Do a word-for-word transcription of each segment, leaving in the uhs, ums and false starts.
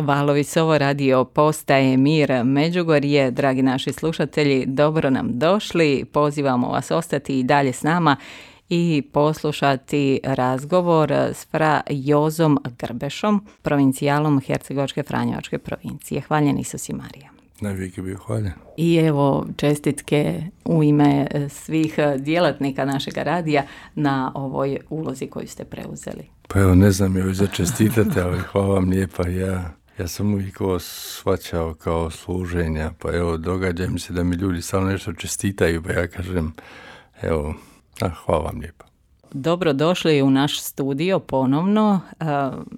Valovi Sovo radio postaje Mir Međugorje. Dragi naši slušatelji, dobro nam došli. Pozivamo vas ostati i dalje s nama i poslušati razgovor s fra Jozom Grbešom, provincijalom Hercegovačke Franjevačke provincije. Hvaljen Isus i Marija. Najvijek bio hvaljen. I evo čestitke u ime svih djelatnika našeg radija na ovoj ulozi koju ste preuzeli. Pa evo, ne znam joj za čestitati, ali hvala vam lijepa. Ja, ja sam uvijek ovo shvaćao kao služenja, pa evo, događa mi se da mi ljudi samo nešto čestitaju, pa ja kažem, evo, a, hvala vam lijepa. Dobro došli u naš studio ponovno. E,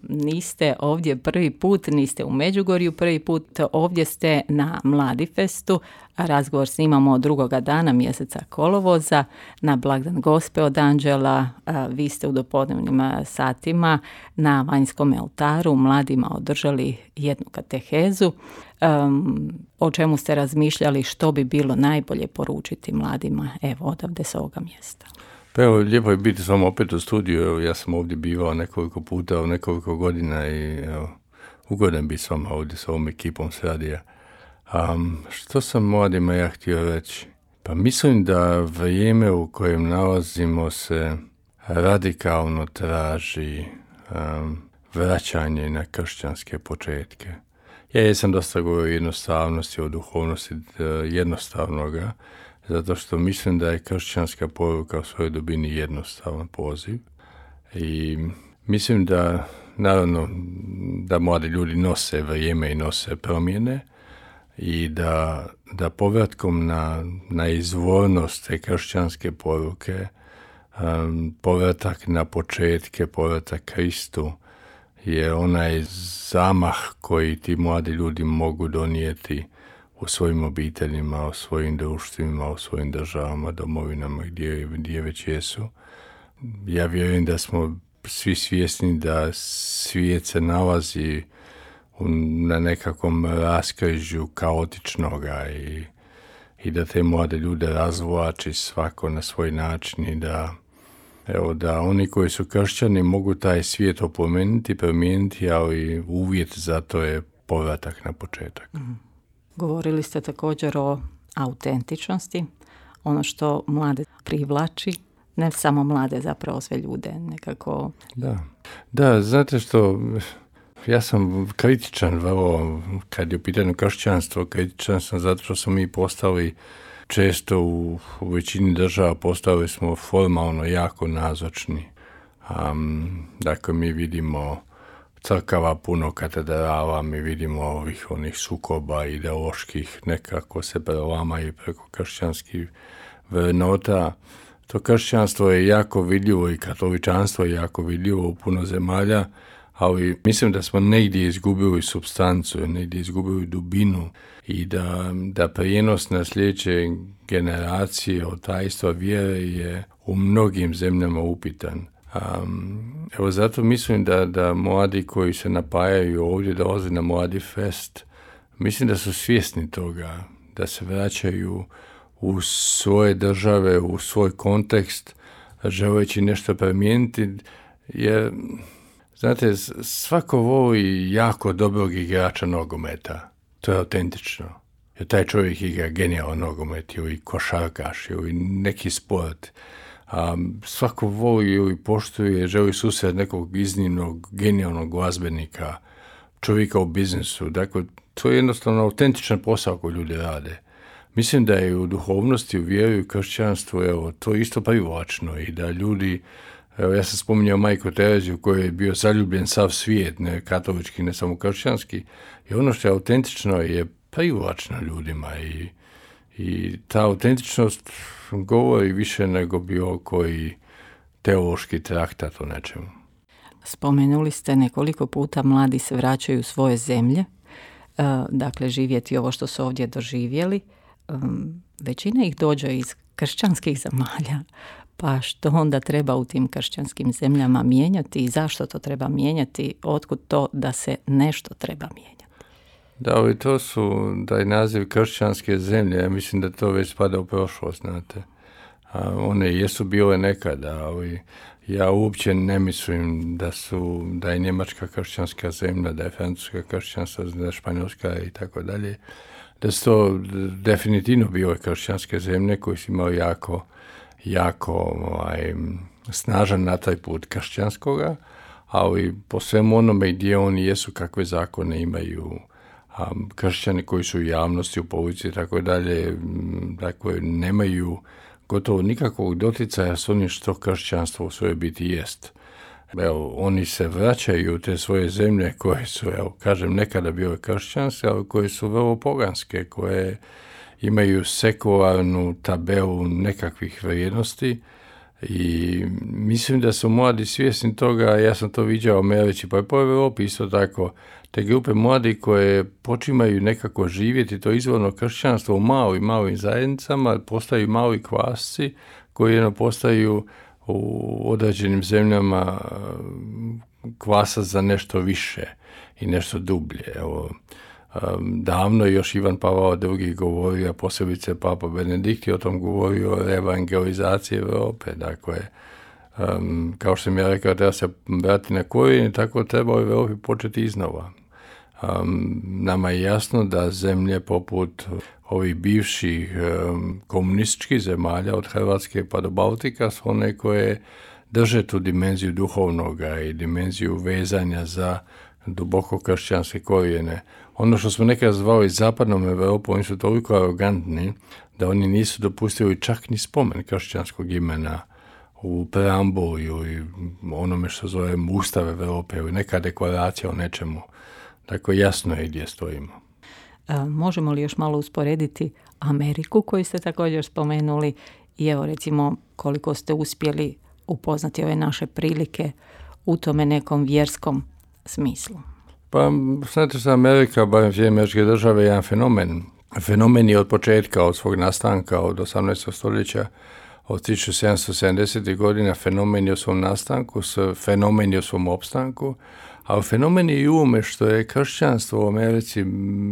niste ovdje prvi put, niste u Međugorju prvi put, ovdje ste na Mladifestu. Razgovor snimamo drugoga dana mjeseca kolovoza na blagdan Gospe od Anđela. E, vi ste u dopodnevnim satima na vanjskom oltaru mladima održali jednu katehezu. E, o čemu ste razmišljali, što bi bilo najbolje poručiti mladima, evo odavde s ovoga mjesta. Pa evo, lijepo je biti s vama opet u studiju. Evo, ja sam ovdje bivao nekoliko puta, u nekoliko godina i evo, ugodan biti s vama ovdje s ovom ekipom s radija. Um, što sam mladima ja htio reći? Pa mislim da vrijeme u kojem nalazimo se radikalno traži um, vraćanje na kršćanske početke. Ja jesam dosta govorio o jednostavnosti, o duhovnosti jednostavnoga, zato što mislim da je kršćanska poruka u svojoj dubini jednostavan poziv. I mislim da, naravno, da mladi ljudi nose vrijeme i nose promjene i da, da povratkom na, na izvornost te kršćanske poruke, um, povratak na početke, povratak Kristu je onaj zamah koji ti mladi ljudi mogu donijeti u svojim obiteljima, u svojim društvima, u svojim državama, domovinama gdje, gdje već jesu. Ja vjerujem da smo svi svjesni da svijet se nalazi u, na nekakvom raskrižju kaotičnoga i, i da te mlade ljude razvlači svako na svoj način i da, evo, da oni koji su kršćani mogu taj svijet opomenuti, promijeniti, ali uvjet za to je povratak na početak. Mm. Govorili ste također o autentičnosti, ono što mlade privlači, ne samo mlade, zapravo sve ljude nekako. Da, da, znate što, ja sam kritičan vrlo, kad je u pitanju kršćanstvo, kritičan sam zato što smo mi postali često u, u većini država postali smo formalno jako nazočni. Um, dakle, mi vidimo crkava puno katedrala, mi vidimo ovih onih sukoba ideoloških, nekako se prelamaju preko kršćanskih vrednota. To kršćanstvo je jako vidljivo i katoličanstvo je jako vidljivo u puno zemalja, ali mislim da smo negdje izgubili supstancu, negdje izgubili dubinu i da, da prijenos na sljedeće generacije od tajstva vjere je u mnogim zemljama upitan. Um, evo zato mislim da, da mladi koji se napajaju ovdje dolaze na Mladifest, mislim da su svjesni toga, da se vraćaju u svoje države, u svoj kontekst, želeći nešto promijeniti, jer, znate, svako voli jako dobrog igrača nogometa, to je autentično, jer taj čovjek igra genijalan nogomet ili košarkaš ili neki sport. A svako voli i poštuje, želi susret nekog iznimnog, genijalnog glazbenika, čovjeka u biznisu. Dakle, to je jednostavno autentičan posao koji ljudi rade. Mislim da je u duhovnosti, u vjeri, u kršćanstvu, evo, to je isto privlačno i da ljudi, evo, ja sam spominjao Majku Tereziju koji je bio zaljubljen sav svijet, ne katolički, ne samo kršćanski, i ono što je autentično je privlačno ljudima i I ta autentičnost govori više nego bilo koji teološki traktat o nečemu. Spomenuli ste nekoliko puta mladi se vraćaju u svoje zemlje, dakle živjeti ovo što su ovdje doživjeli. Većina ih dođe iz kršćanskih zemalja, pa što onda treba u tim kršćanskim zemljama mijenjati i zašto to treba mijenjati, otkud to da se nešto treba mijenjati? Da, ali to su, taj naziv kršćanske zemlje, ja mislim da to već spada u prošlost, znate. A one jesu bile nekada, ali Ja uopće ne mislim da su, da je Njemačka kršćanska zemlja, da je Francuska kršćanska, da je Španjolska i tako dalje. Da su to definitivno bile kršćanske zemlje koji su imali jako, jako ovaj, snažan na taj put kršćanskoga, ali po svemu onome gdje oni jesu, kakve zakone imaju, a kršćani koji su u javnosti, u policiji i tako dalje, dakle, nemaju gotovo nikakvog doticaja s onim što kršćanstvo u svojoj biti jest. Evo, oni se vraćaju u te svoje zemlje koje su, evo, kažem, nekada bile kršćanske, ali koje su vrlo poganske, koje imaju sekularnu tabelu nekakvih vrijednosti i mislim da su mladi svjesni toga, ja sam to viđao u Americi, pa i po Europi isto tako, te grupe mladi koje počimaju nekako živjeti to izvorno kršćanstvo u malim, malim zajednicama, postaju mali kvasci koji jedno postaju u određenim zemljama kvasa za nešto više i nešto dublje. Evo, davno je još Ivan Pavao drugi govorio, a posebice Papa Benedikt je o tom govorio, o evangelizaciji Europe. Dakle, um, kao što sam ja rekao, treba se vrati na korijene, tako treba u Europi početi iznova. Um, nama je jasno da zemlje poput ovih bivših um, komunističkih zemalja od Hrvatske pa do Baltika su one koje drže tu dimenziju duhovnoga i dimenziju vezanja za duboko kršćanske korijene. Ono što smo nekada zvali zapadnom Europom, oni su toliko arogantni da oni nisu dopustili čak ni spomen kršćanskog imena u preambuli i onome što zovemo Ustav Europe ili neka deklaracija o nečemu. Dakle, jasno je gdje stojimo. A, možemo li još malo usporediti Ameriku koju ste također spomenuli i evo recimo koliko ste uspjeli upoznati ove naše prilike u tome nekom vjerskom smislu? Pa, znate što Amerika, barem sve američke države, je jedan fenomen. Fenomen je od početka, od svog nastanka, od osamnaestog stoljeća, od tisuću sedamsto sedamdesetih godina, fenomen je u svom nastanku, fenomen je u svom opstanku, a fenomen je i u ovome što je kršćanstvo u Americi,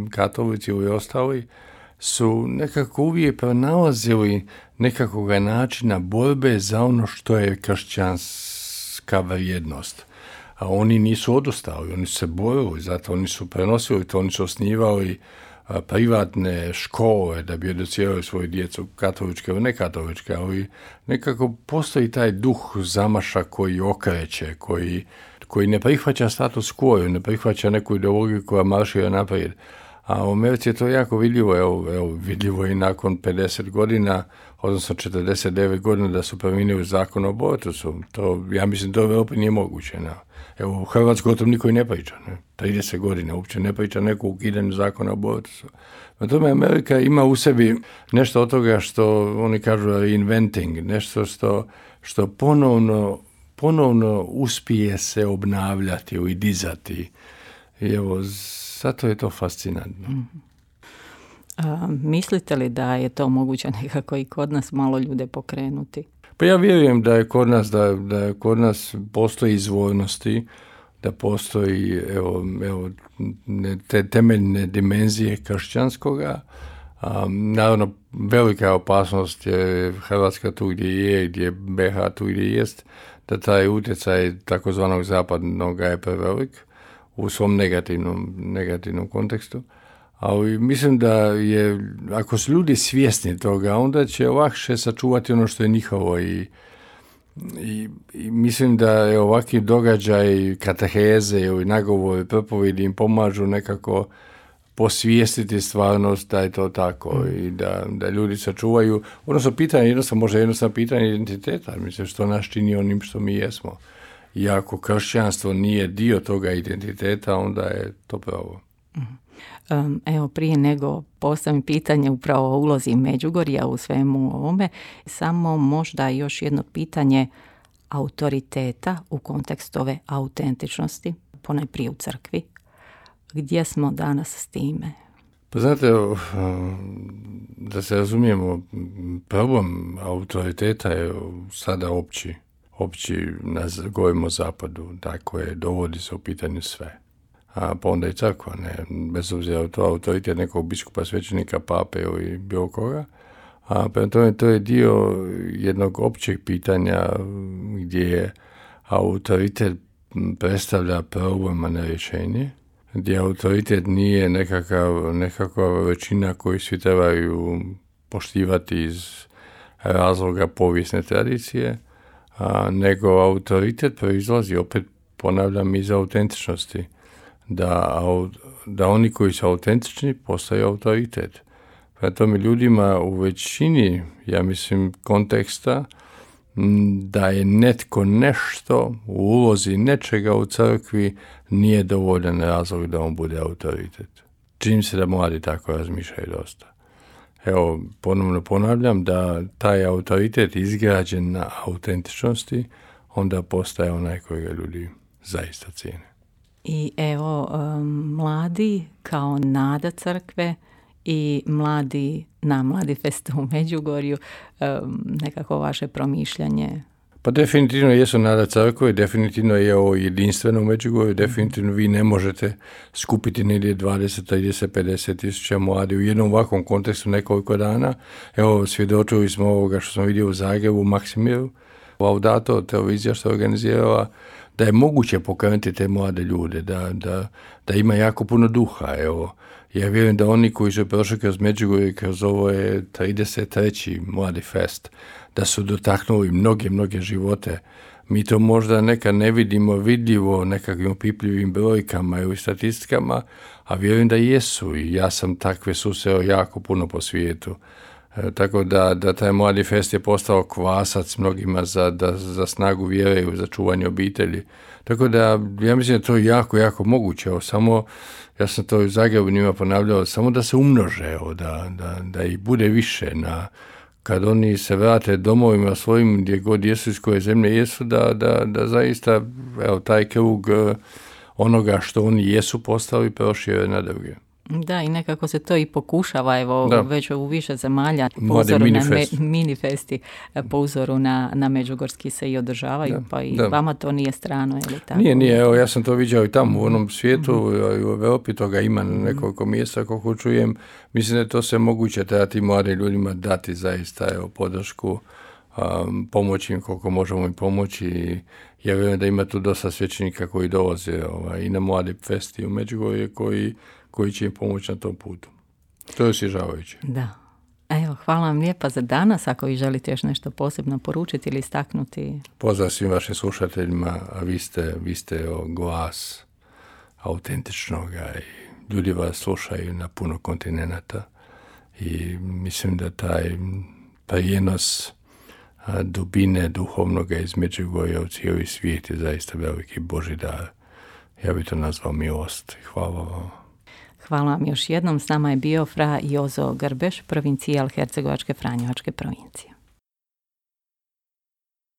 katolici i ostali, su nekako uvijek pronalazili nekakvog načina borbe za ono što je kršćanska vrijednost. A oni nisu odustali, oni su se borili, zato oni su prenosili to, oni su osnivali a, privatne škole da bi educirali svoju djecu, katoličke ili nekatoličke, ali nekako postoji taj duh zamaša koji okreće, koji, koji ne prihvaća status quo, ne prihvaća neku ideologiju koja maršira naprijed. A u Americi je to jako vidljivo, evo, evo vidljivo i nakon pedeset godina, odnosno četrdeset devet godina da su promijenili zakon o abortusu. To, ja mislim, to u Europi nije moguće. Ne? Evo, u Hrvatskoj o tom niko i ne priča. Ne? trideset godina uopće ne priča neko ukidanju zakona o abortusu. Na tome Amerika ima u sebi nešto od toga što oni kažu reinventing, nešto što, što ponovno, ponovno uspije se obnavljati i dizati. I evo, zato je to fascinantno. Mm-hmm. A, mislite li da je to moguće nekako i kod nas malo ljude pokrenuti? Pa ja vjerujem da je kod nas, da, da kod nas postoji izvornosti, da postoji evo, evo, te temeljne dimenzije kršćanskoga. A, naravno, velika opasnost je Hrvatska tu gdje je, gdje B H tu gdje jest, da taj utjecaj takozvanog zapadnog je prevelik u svom negativnom, negativnom kontekstu. Ali mislim da je, ako su ljudi svjesni toga, onda će lakše sačuvati ono što je njihovo i, i, i mislim da je ovakvi događaj, kateheze ili nagovori, propovjedi im pomažu nekako posvijestiti stvarnost da je to tako mm. i da, da ljudi sačuvaju. Odnosno, pitanje, jednostavno, može jednostavno pitanje identiteta, mislim, što nas čini onim što mi jesmo. I ako kršćanstvo nije dio toga identiteta, onda je to pravo. Um, evo, prije nego postavim pitanje upravo o ulozi Međugorja u svemu ovome, samo možda još jedno pitanje autoriteta u kontekstu ove autentičnosti, ponajprije u crkvi. Gdje smo danas s time? Pa znate, da se razumijemo, problem autoriteta je sada opći. Opći, govorimo o zapadu, dakle, dovodi se u pitanju sve. A pa onda i crkva, ne, bez obzira to autoritet nekog biskupa, svećenika, pape ili bilo koga, A prema tome to je dio jednog općeg pitanja gdje je autoritet predstavlja problem, a ne rješenje, gdje autoritet nije nekakav, nekakva većina koju svi trebaju poštivati iz razloga povijesne tradicije, a, nego autoritet proizlazi, opet ponavljam, iz autentičnosti. Da, da oni koji su autentični postaju autoritet. Prema tome ljudima u većini, ja mislim, konteksta da je netko nešto u ulozi nečega u crkvi nije dovoljan razlog da on bude autoritet. Čini se da mladi tako razmišljaju dosta. Evo, ponovno ponavljam da taj autoritet izgrađen na autentičnosti onda postaje onaj kojega ljudi zaista cijene. I evo, um, mladi kao nada crkve i mladi na Mladifestu u Međugorju, um, nekako vaše promišljanje. Pa definitivno jesu nada crkve, definitivno je ovo jedinstveno u Međugorju, definitivno vi ne možete skupiti negdje dvadeset, trideset, pedeset tisuća mladi u jednom ovakvom kontekstu nekoliko dana. Evo, svjedočili smo ovoga što smo vidjeli u Zagrebu, u Maksimiru, Laudato, televizija što je organizirala, da je moguće pokrenuti te mlade ljude, da, da, da ima jako puno duha. Evo, ja vjerujem da oni koji su prošli kroz Međugorje, kroz ovo je trideset treći Mladifest, da su dotaknuli mnoge, mnoge živote. Mi to možda nekad ne vidimo vidljivo nekakvim opipljivim brojkama ili statistikama, a vjerujem da jesu i ja sam takve susreo jako puno po svijetu. E, tako da, da taj Mladifest je postao kvasac mnogima za, da, za snagu vjere i za čuvanje obitelji. Tako da ja mislim da to je jako, jako moguće. Evo, samo, ja sam to u Zagrebu njima ponavljao, samo da se umnože, evo, da, da, da ih bude više na kad oni se vrate domovima svojim gdje god jesu, iz koje zemlje jesu, da, da, da zaista evo, taj krug onoga što oni jesu postali prošire na druge. Da, i nekako se to i pokušava, evo, da. Već u više zemalja po uzoru minifest. na me, minifesti, po uzoru na, na Međugorski se i održavaju, da, pa i da. Vama to nije strano, je li tako? Nije, nije, evo, ja sam to viđao i tamo u onom svijetu, mm-hmm. u Europi toga ima na nekoliko mjesta, kako čujem, mislim da to se moguće treba tim mladim ljudima dati zaista, evo, podršku, um, pomoći im koliko možemo im pomoći i ja vjerujem da ima tu dosta svećenika koji dolaze ovaj, i na Mladi festi u Međugorje koji koji će im pomoći na tom putu. To je osvježavajuće. Da. Evo, hvala vam lijepa za danas. Ako vi želite još nešto posebno poručiti ili istaknuti. Pozdrav svim vašim slušateljima, a vi ste, vi ste o, glas autentičnoga i ljudi vas slušaju na puno kontinenata i mislim da taj prijenos dubine duhovnoga iz Međugorja u cijeli svijet je zaista veliki Božji dar. Ja bih to nazvao milost. Hvala vam. Hvala vam još jednom. S nama je bio fra Jozo Grbeš, provincijal Hercegovačke Franjevačke provincije.